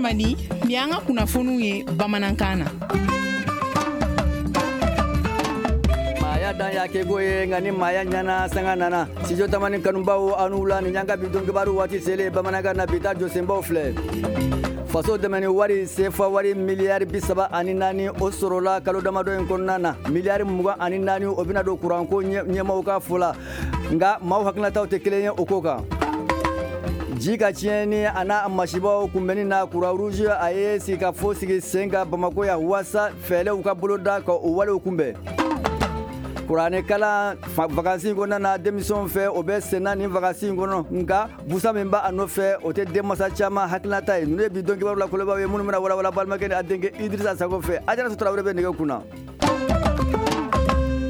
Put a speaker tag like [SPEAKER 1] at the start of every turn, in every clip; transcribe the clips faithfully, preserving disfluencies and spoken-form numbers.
[SPEAKER 1] Tamani, nin y'an ka kunnafoniw ye bamanankan na.
[SPEAKER 2] Maaya dan y'a kɛko ye, nka ni maaya ɲɛna, sanga nana. Studio Tamani kanubaw, aw ni wula. Nin y'an ka bi don kibaru waati selen bamanankan na. Bi ta jɔsenbaw filɛ: faso dɛmɛni wari, sefa wari miliyari bi saba ani naani, o sɔrɔla kalo damadɔ in kɔnɔna na. Miliyari mugan ani naani, o bɛna don kuranko ɲɛmaw ka fɔ la, nka maaw hakilinataw tɛ kelen ye o ko kan. Ji ka tiɲɛni a n'a masibaw kunbɛnni na, Croix Rouge a ye sigikafo sigi sen kan Bamako yan waasa fɛɛrɛw ka boloda ka o walew kunbɛn. Kuranɛ kalan vacances kɔnɔna na denmisɛnw fɛ, o bɛ senna nin vacances kɔnɔ, nka busa min b'a nɔfɛ, o tɛ denmansa caman hakilinata ye. Ninnu ye bi don kibaru la kolobaw ye, minnu bɛna walawala balimakɛ ni a denkɛ Idrissa Sago fɛ. Ajaratu Tarawele bɛ nɛgɛ kunna.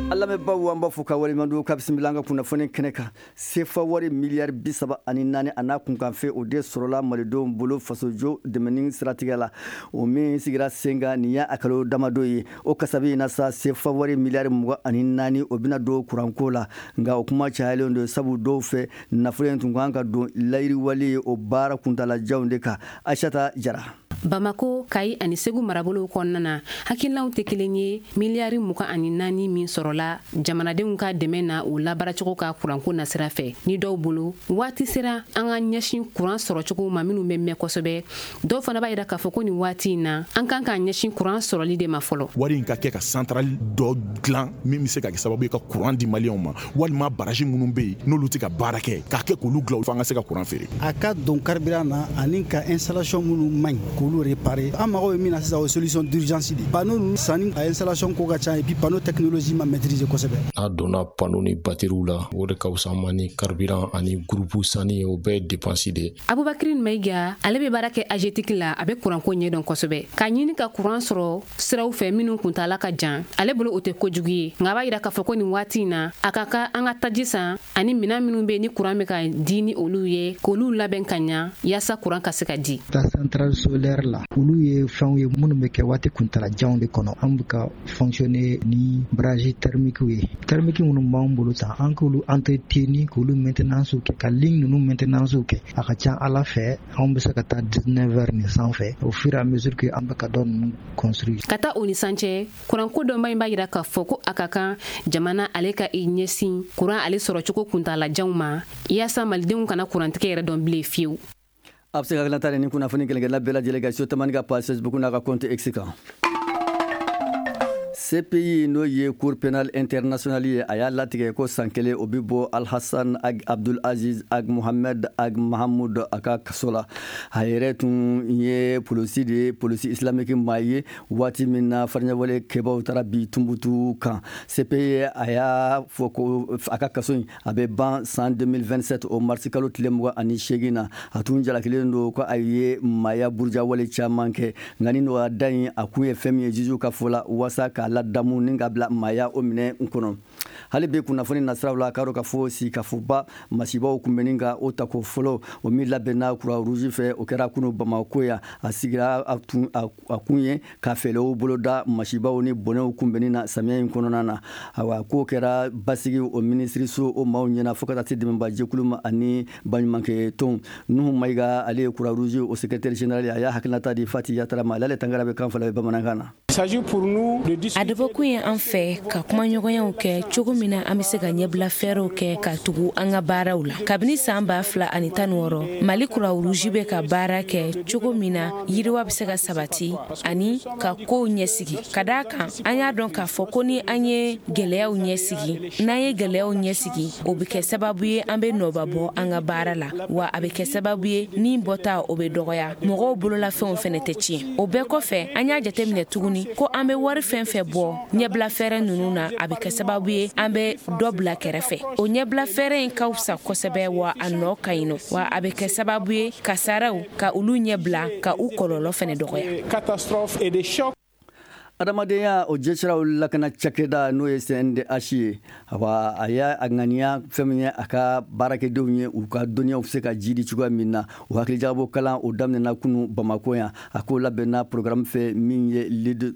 [SPEAKER 2] An lamɛnbaw, an b'a fɔ ka waleɲuman ka bisimila an ka kunnafoni kɛnɛ kan. Sefa wari miliyari bi saba ani naani, a n'a kunkanfɛn, o de sɔrɔla malidenw bolo fasojɔ dɛmɛni siratigɛ la, o min sigira sen kan nin y'a kalo damadɔ ye. O kasabi in na sa, sefa wari miliyari mugan ani naani, o bɛna don kuranko la, nka o kuma cayalen don, sabu dɔw fɛ, nafolo in tun kan ka don layiriwali o baara kuntalajanw de kan. Aïssata Jara.
[SPEAKER 3] Bamako, Kayi ani Segu marabolow kɔnɔna na, hakilinaw tɛ kelen ye miliyari mugan ani naani min sɔrɔla jamanadenw ka dɛmɛ na, o labaaracogo ka kuranko nasira fɛ. Ni dɔw bolo, waati sera an ka ɲɛsin kuran sɔrɔcogo ma minnu bɛ mɛn kosɛbɛ. Dɔw fana b'a yira k'a fɔ ko nin waati in na, an kan k'an ɲɛsin kuran sɔrɔli de ma fɔlɔ.
[SPEAKER 4] Wari in ka kɛ ka centrale dɔ dilan min bɛ se ka kɛ sababu ye ka kuran di maliyɛnw ma, walima barrage minnu bɛ yen n'olu tɛ ka baara kɛ, k'a kɛ k'olu dilan fo an ka se ka kuran feere.
[SPEAKER 5] A ka don carburant na ani ka installation minnu man ɲi, k'olu réparer. An mago bɛ min na sisan, o ye solution d'urgence de. Panneau ninnu sanni, a installation ko ka ca, et puis panneau technologie ma maîtriser kosɛbɛ.
[SPEAKER 6] N'a donna panneau ni batteriw la, o de ka fisa an ma ni carburant ani groupe sanni ye. O bɛɛ ye dépense de ye.
[SPEAKER 3] Abubakari Mayiga, ale bɛ baara kɛ AGETIC la, a bɛ kuranko ɲɛdɔn kosɛbɛ. K'a ɲini ka kuran sɔrɔ siraw fɛ minnu kuntala ka jan, ale bolo o tɛ kojugu ye, nka a b'a yira k'a fɔ ko nin waati in na, a ka kan an ka taji san ani minɛn minnu bɛ ni kuran bɛ ka di ni olu ye, k'olu labɛn ka ɲa yaasa kuran ka se ka di.
[SPEAKER 7] Ta centrale solaire la, olu ye fɛnw ye minnu bɛ kɛ waati kuntalajanw de kɔnɔ. An bɛ ka fonctionner ni barrage thermique ye. Thermique minnu b'an bolo tan, an k'olu entretenir, k'olu maintenance kɛ, ka ligne ninnu maintenance kɛ, a ka ca ala fɛ anw bɛ se ka taa dix-neuf heures nin sanfɛ au fur et à mesure que an bɛ ka dɔ ninnu construire.
[SPEAKER 3] Ka taa o ni san cɛ, kuranko dɔnba in b'a yira k'a fɔ ko a ka kan jamana ale ka i ɲɛsin kuran ale sɔrɔcogo kuntalajanw ma yaasa malidenw kana kurantigɛ yɛrɛ dɔn bilen fiyewu.
[SPEAKER 2] A bɛ se ka hakilinata ni kunnafoni kelenkelen bɛɛ lajɛlen kan Studio Tamani ka page Facebook n'a ka compte X kan. C P I, n'o ye Cour pénale internationale ye, a y'a latigɛ ko san kelen, o bɛ bɔ Alhassan Ag Abdul Aziz Ag Mohamed Ag Mahamud a ka kaso la. A yɛrɛ tun ye polisi de ye, polisi islamique maa ye, waati min na fariɲɛwale kɛbaw taara bi Tunbutu kan. C P I a y'a fɔ ko a ka kaso in, a bɛ ban san deux mille vingt-sept, o marisi kalo tile mugan ani seegin na. A tun jalakilen don ko a ye maaya burujawale caman kɛ, nka ni nɔgɔya da in, a kun ye fɛn min ye, juge ka fɔ la, waasa k'a ladamu ni ka bila maaya o minɛ n kɔnɔ. Hali bi kunnafoni nasiraw la, k'a dɔn ka fɔ sikafoba masibaw kunbɛnni ka o tako fɔlɔ, o min labɛnna Croix Rouge fɛ, o kɛra kunu Bamako yan. A sigira a tun a kun ye ka fɛɛrɛw boloda masibaw ni bɔnɛw kunbɛnni na samiya in kɔnɔna na. Ayiwa, k'o kɛra basigi o minisiriso o maaw ɲɛna, fo ka taa se dɛmɛbajɛkulu ma ani baɲumankɛ tɔnw. Nuhu Mayiga, ale ye Croix Rouge o secrétaire général ye, a y'a hakilinata di Fati Yatara ma. Ale Tangara bɛ kan fila bɛ bamanankan na.
[SPEAKER 8] A dabɔkun ye an fɛ ka kumaɲɔgɔnyaw kɛ cogo min na an be se ka ɲɛbila fɛɛrɛw kɛ ka tugu an ka baaraw la. Kabini saan ba fila ani tan wɔɔrɔ, Mali Croix Rouge bɛ ka baara kɛ cogo min na yiriwa be se ka sabati ani ka koow ɲɛsigi. Ka daa kan, an y'a dɔn k'a fɔ ko ni an ye gwɛlɛyaw ɲɛsigi, n'an ye gwɛlɛyaw ɲɛsigi, o be kɛ sababu ye an be nɔba bɔ an ka baara la, wa a be kɛ sababu ye ni bɔta o be dɔgɔya, mɔgɔw bololafɛnw fɛnɛ tɛ tiɲɛ. O bɛɛ kɔfɛ, an y'a jateminɛ tuguni ko an be wari fɛn fɛn bɔ ɲɛbila fɛɛrɛ ninnu na, a bɛ kɛ sababu ye an bɛ dɔ bila kɛrɛfɛ. O ɲɛbila fɛɛrɛ in ka fisa kosɛbɛ, wa a nɔ ka ɲi nɔ, wa a bɛ kɛ sababu ye kasaraw ka olu ɲɛbila, ka u kɔlɔlɔ fɛnɛ dɔgɔya.
[SPEAKER 2] Adamadenya o jɛsiraw lakana cakɛda, n'o ye C N D H ye, awa, a y'a a ŋaniya fɛn min ye a ka baarakɛdenw ye, u ka dɔnniyaw bɛ se ka jidi cogoya min na. O hakilijagabɔ kalan, o daminɛna kunu Bamako yan. A k'o labɛnna programme fɛ min ye Lead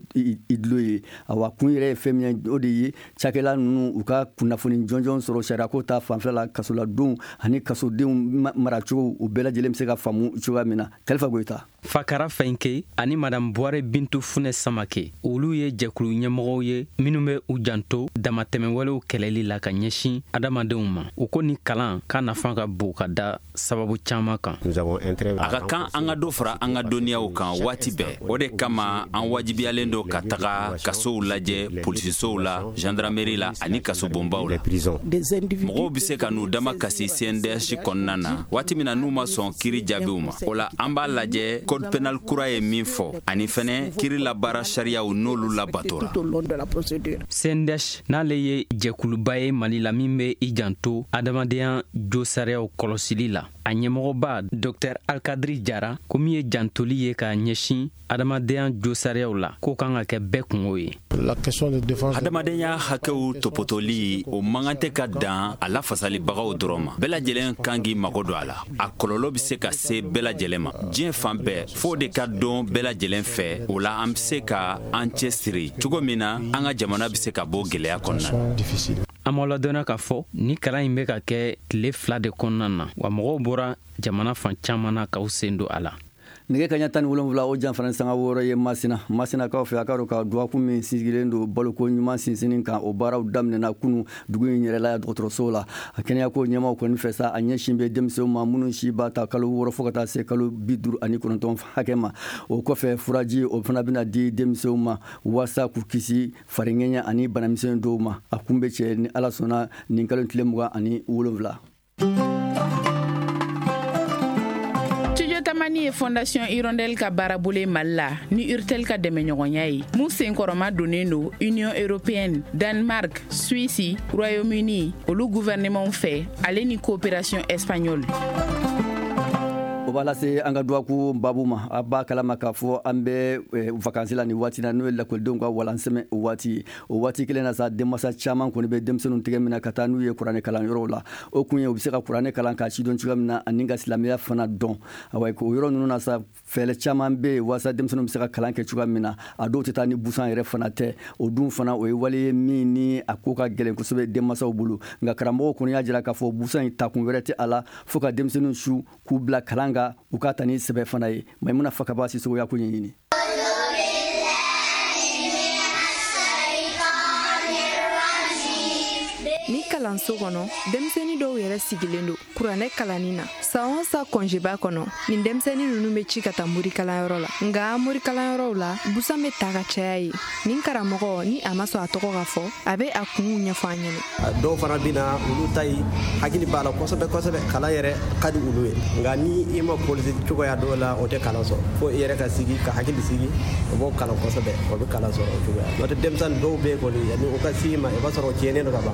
[SPEAKER 2] Idlo ye. Awa, kun yɛrɛ ye fɛn min ye, o de ye cakɛla ninnu u ka kunnafoni jɔnjɔn sɔrɔ sariyako ta fanfɛla la, kasoladenw ani kasodenw maracogo, u bɛɛ lajɛlen bɛ se ka faamu cogoya min na. Kalifa Goyita.
[SPEAKER 9] Fakara Fɛnke ani Madame Buware Bintu Funɛ Samake, olu ye jɛkulu ɲɛmɔgɔw ye minnu bɛ u janto damatɛmɛwalew kɛlɛli la ka ɲɛsin adamadenw ma. U ko ni kalan k'a nafa ka bon ka da sababu caman kan.
[SPEAKER 10] A ka kan an ka dɔ fara an ka dɔnniyaw kan waati bɛɛ. O de kama an wajibiyalen don ka taga kasow lajɛ, polisisow la, gendarmerie la ani kasobonbaw la. Mɔgɔw bɛ se ka n'u dama kasi C N D H kɔnɔna na waati min na n'u ma sɔn kiiri jaabiw ma. O la an b'a lajɛ code pénal kura ye min fɔ ani fɛnɛ kiiri labaara sariyaw n'olu labatora.
[SPEAKER 9] C N D H n'ale ye jɛkuluba ye Mali la min bɛ i janto adamadenya josariyaw kɔlɔsili la. A ɲɛmɔgɔba Docteur Alkadiri Jara ko min ye jantoli ye ka ɲɛsin adamadenya josariyaw la k'o kan ka kɛ bɛɛ kungo ye.
[SPEAKER 10] Adamadenya hakɛw topotoli o man kan tɛ ka dan a lafasalibagaw dɔrɔn ma. Bɛɛ lajɛlen kan k'i mago don a la. A kɔlɔlɔ bɛ se ka se bɛɛ lajɛlen ma diɲɛ fan bɛɛ, f'o de ka dɔn bɛɛ lajɛlen fɛ. O la an bɛ se ka an cɛsiri cogo min na an ka jamana bɛ se ka bɔ gɛlɛya kɔnɔna na.
[SPEAKER 9] An m'aw ladɔnniya k'a fɔ ni kalan in bɛ ka kɛ tile fila de kɔnɔna na, wa mɔgɔw bɔra jamana fan caman na k'aw sen don a la.
[SPEAKER 2] Nɛgɛ kaɲa tan ni wolonwula o janfara sanga wɔɔrɔ ye Masina. Masinakaw fɛ a ka dɔn ka dɔgɔkun min sigilen don baloko ɲuman sinsinni kan, o baaraw daminɛna kunu dugu in yɛrɛ la dɔgɔtɔrɔso la. A kɛnɛyako ɲɛmaw kɔni fɛ sa, a ɲɛsin bɛ denmisɛnw ma minnu si b'a ta kalo wɔɔrɔ fo ka taa se kalo bi duuru ani kɔnɔntɔn hakɛ ma. O kɔfɛ furaji o fana bɛna di denmisɛnw ma walasa k'u kisi fariŋɛɲɛ ani banamisɛn dɔw ma. A kun bɛ cɛ ni Ala sɔnna nin kalo tile mugan ani wolonwula.
[SPEAKER 1] Tamani ye Fondation Hirondelle ka baarabolo Mali la ni Urtel ka dɛmɛɲɔgɔnya ye mun senkɔrɔma donnen don Union européenne, Danemark, Suisse, Royaume-Uni olu gouvernement fɛ ale ni coopération espagnole.
[SPEAKER 2] O b'a lase an ka dɔgɔkun babu ma. A b'a kalama k'a fɔ an bɛ vacances la nin waati na, n'o ye lakɔlidenw ka walansɛmɛ o waati ye. O waati kelen na sa, denmansa caman kɔni bɛ denmisɛnninw tigɛ minɛ ka taa n'u ye kuranɛ kalanyɔrɔw la. O kun ye u bɛ se ka kuranɛ kalan k'a sidɔn cogoya min na ani ka silamɛya fana dɔn. Awa o yɔrɔ ninnu na sa, fɛɛrɛ caman bɛ yen walasa denmisɛnninw bɛ se ka kalan kɛ cogoya min na. A dɔw tɛ taa ni busan yɛrɛ fana tɛ. O dun fana o ye wale ye min ni a ko ka gɛlɛn kosɛbɛ denmansaw bolo. Nka karamɔgɔw kɔni y'a jira k'a fɔ busan in takun wɛrɛ tɛ a la fo ka denmisɛnninw su k'u bila kalan kan, u ka ta ni sɛbɛ fana ye. Maimuna Fakaba Sisoko y'a ko ɲɛɲini.
[SPEAKER 11] Ni kalanso kɔnɔ, denmisɛnnin dɔw yɛrɛ sigilen don kuranɛ kalanni na. San o san kɔnjeba kɔnɔ, nin denmisɛnnin ninnu bɛ ci ka taa morikalanyɔrɔ la. Nka morikalanyɔrɔw la, busan bɛ ta ka caya ye. Nin karamɔgɔ ni a ma sɔn a tɔgɔ ka fɔ, a bɛ a kunw ɲɛfɔ an ɲɛna.
[SPEAKER 12] Dɔw fana bɛ na, olu ta ye hakili b'a la kosɛbɛ kosɛbɛ, kalan yɛrɛ ka di olu ye. Nka ni i ma polisi cogoya dɔw la, o tɛ kalan sɔrɔ. Fo i yɛrɛ ka sigi ka hakili sigi, o b'o kalan kosɛbɛ, o bɛ kalan sɔrɔ o cogoya. N'o tɛ denmisɛnnin dɔw bɛ yen kɔni, yanni o ka s'i ma, i b'a sɔrɔ o tiɲɛnen don ka ban.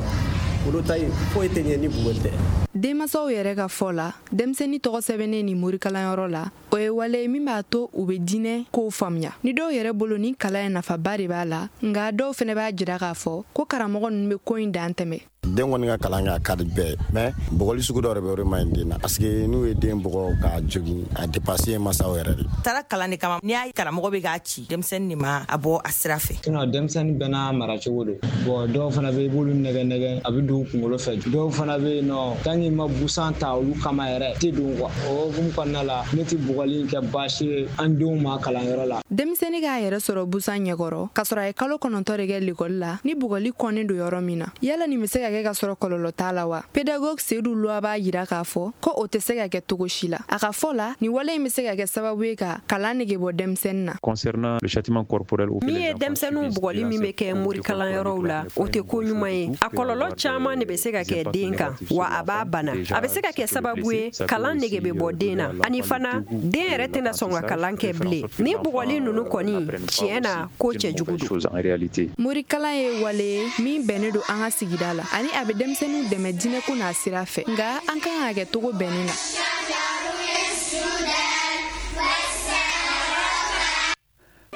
[SPEAKER 12] Olu ta ye foyi tɛ ɲɛ ni bugɔli tɛ.
[SPEAKER 11] Denmansaw yɛrɛ ka fɔ la, denmisɛnnin tɔgɔ sɛbɛnnen ni morikalanyɔrɔ la, o ye wale ye min b'a to u bɛ diinɛ kow faamuya. Ni dɔw yɛrɛ bolo ni kalan in nafaba de b'a la, nka dɔw fana b'a jira k'a fɔ ko karamɔgɔ ninnu bɛ ko in dan tɛmɛ.
[SPEAKER 13] Den kɔni ka kalan kɛ a ka di bɛɛ, mais bugɔli sugu dɔ de bɛ o de man ɲi den na, parce que n'u ye den bugɔ k'a jogin, a dépassé ye masaw yɛrɛ de.
[SPEAKER 14] Taara kalan de kama, n'i y'a karamɔgɔ bɛ k'a ci denmisɛnnin de ma a bɔ a sira fɛ.
[SPEAKER 15] Sinon denmisɛnnin bɛɛ n'a mara cogo don. Bon dɔw fana bɛ i b'olu nɛgɛ nɛgɛ a bɛ don u kunkolo fɛ. Dɔw fana bɛ yen nɔ tant que ma busan ta olu kama yɛrɛ tɛ don quoi. O hukumu kɔnɔna la, ne tɛ bugɔli in kɛ baasi ye an denw ma kalanyɔrɔ la.
[SPEAKER 11] Denmisɛnnin k'a yɛrɛ sɔrɔ busan ɲɛkɔrɔ k'a sɔrɔ a ye kalo kɔnɔntɔn de kɛ lekɔli la, ni bugɔli kɔnnen don yɔrɔ min na, yala nin bɛ se ka kɛ ka sɔrɔ kɔlɔlɔ t'a la wa? Pédagogue Seydou Loa b'a jira k'a fɔ ko o tɛ se ka kɛ cogo si la. A ka fɔ la, nin wale in bɛ se ka kɛ sababu ye ka kalan nege bɔ denmisɛnnin na.
[SPEAKER 16] Concernant le châtiment corporel,
[SPEAKER 17] min ye denmisɛnninw bugɔli min bɛ kɛ morikalanyɔrɔw la, o tɛ ko ɲuman ye. A kɔlɔlɔ caman de bɛ se ka kɛ den kan, wa a b'a bana. A bɛ se ka kɛ sababu ye kalan nege bɛ bɔ den na, ani fana den yɛrɛ tɛna sɔn ka kalan kɛ bilen. Ni bugɔli ninnu kɔni tiɲɛ na ko cɛjugu don.
[SPEAKER 11] Morikalan ye wale ye min bɛnnen don an ka sigida la, ani a bɛ denmisɛnninw dɛmɛ diinɛko n'a sira fɛ, nka an kan ka kɛ cogo bɛnnen na.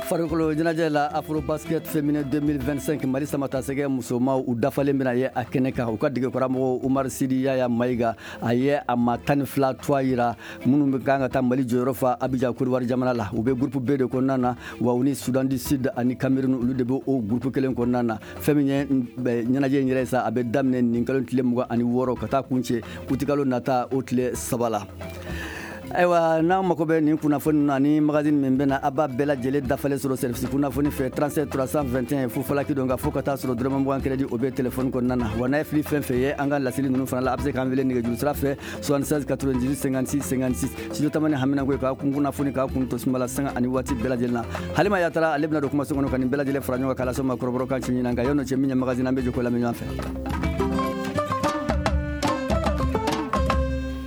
[SPEAKER 2] Farikolo ɲɛnajɛ la, Afrobasket féminin deux mille vingt-cinq Mali samatasɛgɛ musomaw u dafalen bɛna ye a kɛnɛ kan. U ka degekaramɔgɔ Umar Sidi Yaya Mayiga a ye a ma tan ni fila tɔgɔ yira minnu bɛ kan ka taa Mali jɔyɔrɔ fa Abidjan Côte d'Ivoire jamana la. U bɛ groupe B de kɔnɔna na, wa u ni Soudan du Sud ani Cameroun olu de bɛ o groupe kelen kɔnɔna na. Fɛn min ye ɲɛnajɛ in yɛrɛ sa, a bɛ daminɛ nin kalo tile mugan ani wɔɔrɔ ka taa kuncɛ utikalo nata o tile saba la. Ayiwa, n'aw mako bɛ nin kunnafoni na ni magazine min bɛna, a b'a bɛɛ lajɛlen dafalen sɔrɔ service kunnafoni fɛ, trente-sept trois cent vingt et un fu falaki don ka fo ka taa sɔrɔ dɔrɔmɛ mugan crédit, o bɛ téléphone kɔnɔna na. Wa n'a ye fili fɛn fɛn ye an ka laseli ninnu fana la, a bɛ se k'an wele nɛgɛjuru sira fɛ, soixante-seize quatre-vingt-dix-huit cinquante-six cinquante-six. Studio Tamani haminanko ye k'a kun kunnafoni k'a kun to sumala sanga ani waati bɛɛ lajɛlen na. Halima Yatara, ale bɛna don kumaso kɔnɔ ka nin bɛɛ lajɛlen fara ɲɔgɔn kan k'a lase ma kɔrɔbɔrɔ kan ci ɲinan. Nka yan'o cɛ, min ye magazine, an bɛ jɛ k'o lamɛn ɲɔgɔn fɛ.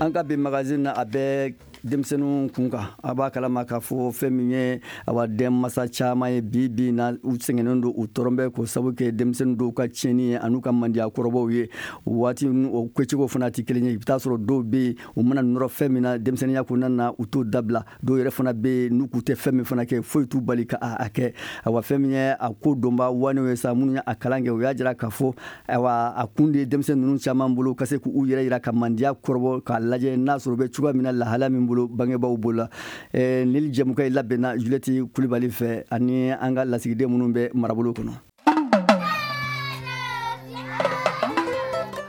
[SPEAKER 2] An ka bi magazine na, a bɛ denmisɛnninw kun kan. A b'a kalama k'a fɔ fɛn min ye, awa, denmasa caman ye bi bi na, u sɛgɛnnen don, u tɔɔrɔ bɛ k'o sababu kɛ denmisɛnnin dɔw ka tiɲɛni ye an'u ka mandiya kɔrɔbɔw ye. Waati o kɛcogo fana tɛ kelen ye. I bɛ taa sɔrɔ dɔw bɛ yen, u mana nɔrɔ fɛn min na denmisɛnninya kɔnɔna na, u t'o dabila. Dɔw yɛrɛ fana bɛ yen, n'u k'u tɛ fɛn min fana kɛ, foyi t'u bali ka a kɛ. Awa, fɛn min ye a ko dɔnba wanew ye sa, minnu ye a kalan kɛ, u y'a jira k'a fɔ, ayiwa, a kun de ye denmisɛnnin ninnu caman bolo ka se k'u yɛrɛ yira ka mandiya kɔrɔbɔ, k'a lajɛ n'a sɔrɔ u bɛ cogoya min na, lahala min bolo bangebaaw bolo la. Ni jɛmukan in labɛnna Juliette Kulibali fɛ ani an ka lasigiden minnu bɛ marabolo kɔnɔ.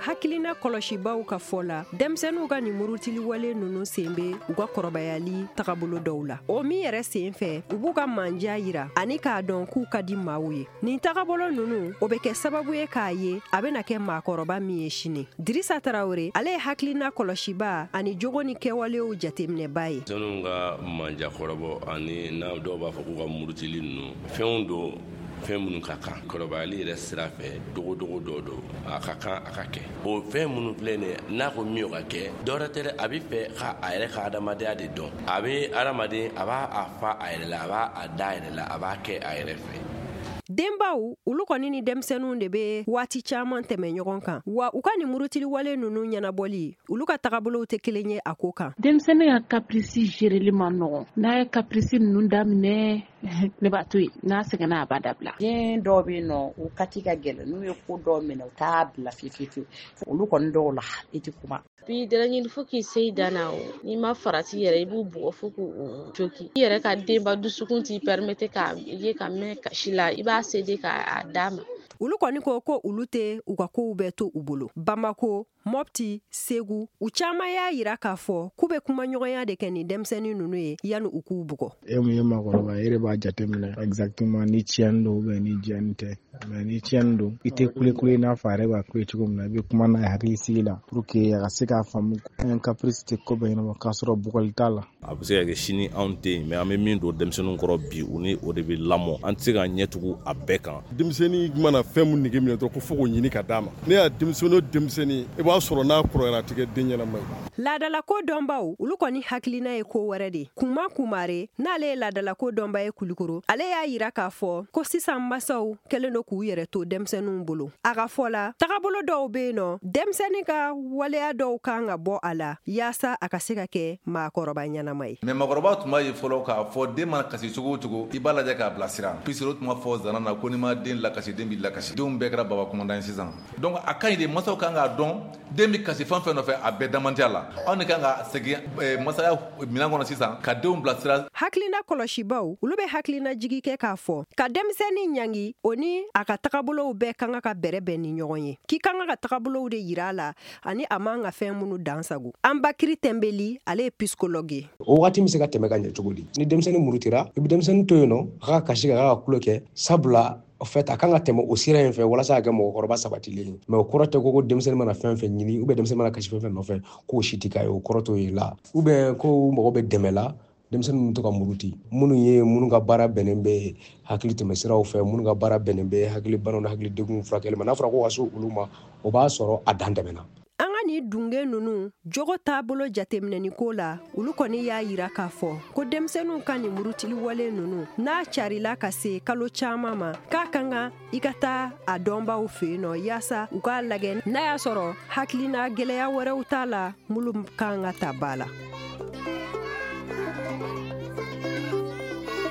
[SPEAKER 17] Hakilina kɔlɔsibaw ka fɔ la, denmisɛnninw ka nin murutiliwale ninnu sen bɛ u ka kɔrɔbayali tagabolo dɔw la, o min yɛrɛ sen fɛ u b'u ka manja yira ani k'a dɔn k'u ka di maaw ye. Nin tagabolo ninnu, o bɛ kɛ sababu ye k'a ye a bɛna kɛ maakɔrɔba min ye sini. Dirisa Tarawele, ale ye hakilina kɔlɔsiba ani jogo ni kɛwalew jateminɛba ye.
[SPEAKER 18] Denmisɛnninw ka manja kɔrɔbɔ ani n'a dɔw b'a fɔ k'u ka murutili ninnu, fɛnw don, fɛn minnu ka kan kɔrɔbayali yɛrɛ sira fɛ, dogodogo dɔ don, a ka kan a ka kɛ. O fɛn minnu filɛ nin ye, n'a ko min o ka kɛ, dɔwɛrɛ tɛ dɛ, a bɛ fɛ ka a yɛrɛ ka adamadenya de dɔn. A bɛ adamaden, a b'a a fa a yɛrɛ la, a b'a a da a yɛrɛ la, a b'a kɛ a yɛrɛ fɛ.
[SPEAKER 17] Denbaw, olu kɔni ni denmisɛnninw de bɛ waati caman tɛmɛ ɲɔgɔn kan, wa u ka nin murutiliwale ninnu ɲɛnabɔli, olu ka tagabolow tɛ kelen ye a ko kan.
[SPEAKER 19] Denmisɛnnin ka caprice géreli ma nɔgɔn. N'a ye caprice ninnu daminɛ, ne b'a to yen, n'a sɛgɛnna, a b'a dabila.
[SPEAKER 20] Den dɔw bɛ yen nɔ, u kati ka gɛlɛn. N'u ye ko dɔw minɛ, u t'a bila fiyewu fiyewu. Olu kɔni dɔw la, i tɛ kuma.
[SPEAKER 21] Bi dalaɲini fo k'i se i dan na, o n'i ma farati yɛrɛ, i b'u bugɔ fo k'u joki. I yɛrɛ ka denba dusukun t'i permettre k'a ye ka mɛn kasi la, i b'a céder k'a d'a ma.
[SPEAKER 17] Olu kɔni ko ko olu tɛ u ka kow bɛɛ to u bolo. Bamako, Mɔpti, Segu, u caman y'a yira k'a fɔ k'u bɛ kumaɲɔgɔnya de kɛ ni denmisɛnnin ninnu ye yanni u k'u bugɔ.
[SPEAKER 22] E mun ye maakɔrɔba ye, e de b'a jateminɛ exactement ni tiɲɛni don ou bien ni jɛni tɛ. Mais ni tiɲɛni don, i tɛ kule kule i n'a fɔ a yɛrɛ b'a kule cogo min na. I bɛ kuma n'a ye hakili sigi la pour que a ka se k'a faamu, un caprice tɛ ko bɛɛ ɲɛnabɔ k'a sɔrɔ bugɔli t'a la.
[SPEAKER 23] A bɛ se ka kɛ sini anw tɛ yen, mais an bɛ min don denmisɛnninw kɔrɔ bi, u ni o de bɛ lamɔ. An tɛ se ka ɲɛ tugu a bɛɛ kan.
[SPEAKER 24] Denmisɛnnin mana fɛn mun nege minɛ dɔrɔn, ko fo k'o ɲini ka d'a ma, ne y'a denmisɛnnin o denmisɛnnin, i b'a sɔrɔ n'a kɔrɔyara, a tɛ kɛ den ɲɛnama ye.
[SPEAKER 17] Laadalako dɔnbaw, olu kɔni hakilina ye ko wɛrɛ de. Kuma Kumare, n'ale ye laadalako dɔnba ye Kulikoro, ale y'a yira k'a fɔ ko sisan masaw kɛlen don k'u yɛrɛ to denmisɛnninw bolo. A ka fɔ la, tagabolo dɔw bɛ yen nɔ, denmisɛnnin ka waleya dɔw kan ka bɔ a la yaasa a ka se ka kɛ maakɔrɔba ɲɛnama ye.
[SPEAKER 25] Mais maakɔrɔba tun b'a ye fɔlɔ k'a fɔ den mana kasi cogo o cogo, i b'a lajɛ k'a bilasira, puisque o tun b'a fɔ zana na ko n'i ma den lakasi, den b'i lakasi. Denw bɛɛ kɛra baba commandant ye sisan. Donc a ka ɲi de, masaw kan k'a dɔn den bɛ kasi fɛn fɛn nɔfɛ, a bɛɛ damandiya la. Anw de kan ka segin masaya minɛn kɔnɔ sisan ka denw bilasira.
[SPEAKER 17] Hakilina kɔlɔsibaw, olu bɛ hakilina jigi kɛ k'a fɔ ka denmisɛnnin ɲangi, o ni a ka tagabolow bɛɛ kan ka bɛrɛ bɛn ni ɲɔgɔn ye, k'i kan ka tagabolow de yira a la ani a man ka fɛn minnu dan sago. Anbakiri Tɛnbeli, ale ye psychologue ye.
[SPEAKER 26] O waati bɛ se ka tɛmɛ ka ɲɛ cogo di? Ni denmisɛnnin murutira, i bɛ denmisɛnnin to yen nɔ, a ka kasi, ka ka kulo kɛ, sabula en fait a kan ka tɛmɛ o sira in fɛ walasa a kɛ mɔgɔkɔrɔba sabatilen ye. Mais o kɔrɔ tɛ ko ko denmisɛnnin mana fɛn fɛn ɲini ou bien denmisɛnnin mana kasi fɛn fɛn nɔfɛ, k'o si tɛ k'a ye. O kɔrɔ t'o ye la, ou bien ko mɔgɔ bɛ dɛmɛ la denmisɛnnin bɛ to ka muruti. Minnu ye minnu ka baara bɛnnen bɛ hakili tɛmɛsiraw fɛ, minnu ka baara bɛnnen bɛ hakili banaw ni hakili degun furakɛli ma, n'a fɔra ko ka se olu ma, o b'a sɔrɔ a dan tɛmɛna.
[SPEAKER 17] An ka nin dunge ninnu jogo taabolo jateminɛni ko la, olu kɔni y'a yira k'a fɔ ko denmisɛnninw ka nin murutiliwale ninnu, n'a carila ka se kalo caman ma, k'a kan ka i ka taa a dɔnbaw fɛ yen nɔ yaasa u k'a lajɛ n'a y'a sɔrɔ hakilina gɛlɛya wɛrɛw t'a la minnu kan ka ta ba la.